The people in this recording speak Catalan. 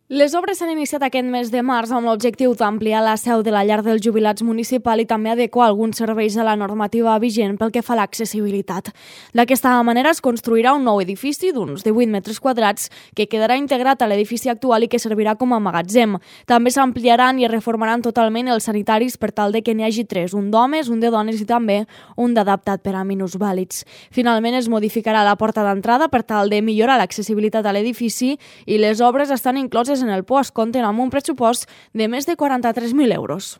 Les obres s'han iniciat aquest mes de març amb l'objectiu d'ampliar la seu de la llar dels jubilats municipal i també adequar alguns serveis a la normativa vigent pel que fa a l'accessibilitat. D'aquesta manera es construirà un nou edifici d'uns 18 metres quadrats que quedarà integrat a l'edifici actual i que servirà com a magatzem. També s'ampliaran i es reformaran totalment els sanitaris per tal de que n'hi hagi 3, un d'homes, un de dones i també un d'adaptat per a minusvàlids. Finalment es modificarà la porta d'entrada per tal de millorar l'accessibilitat a l'edifici i les obres estan incloses en el POS, compten amb un pressupost de més de 43.000 euros.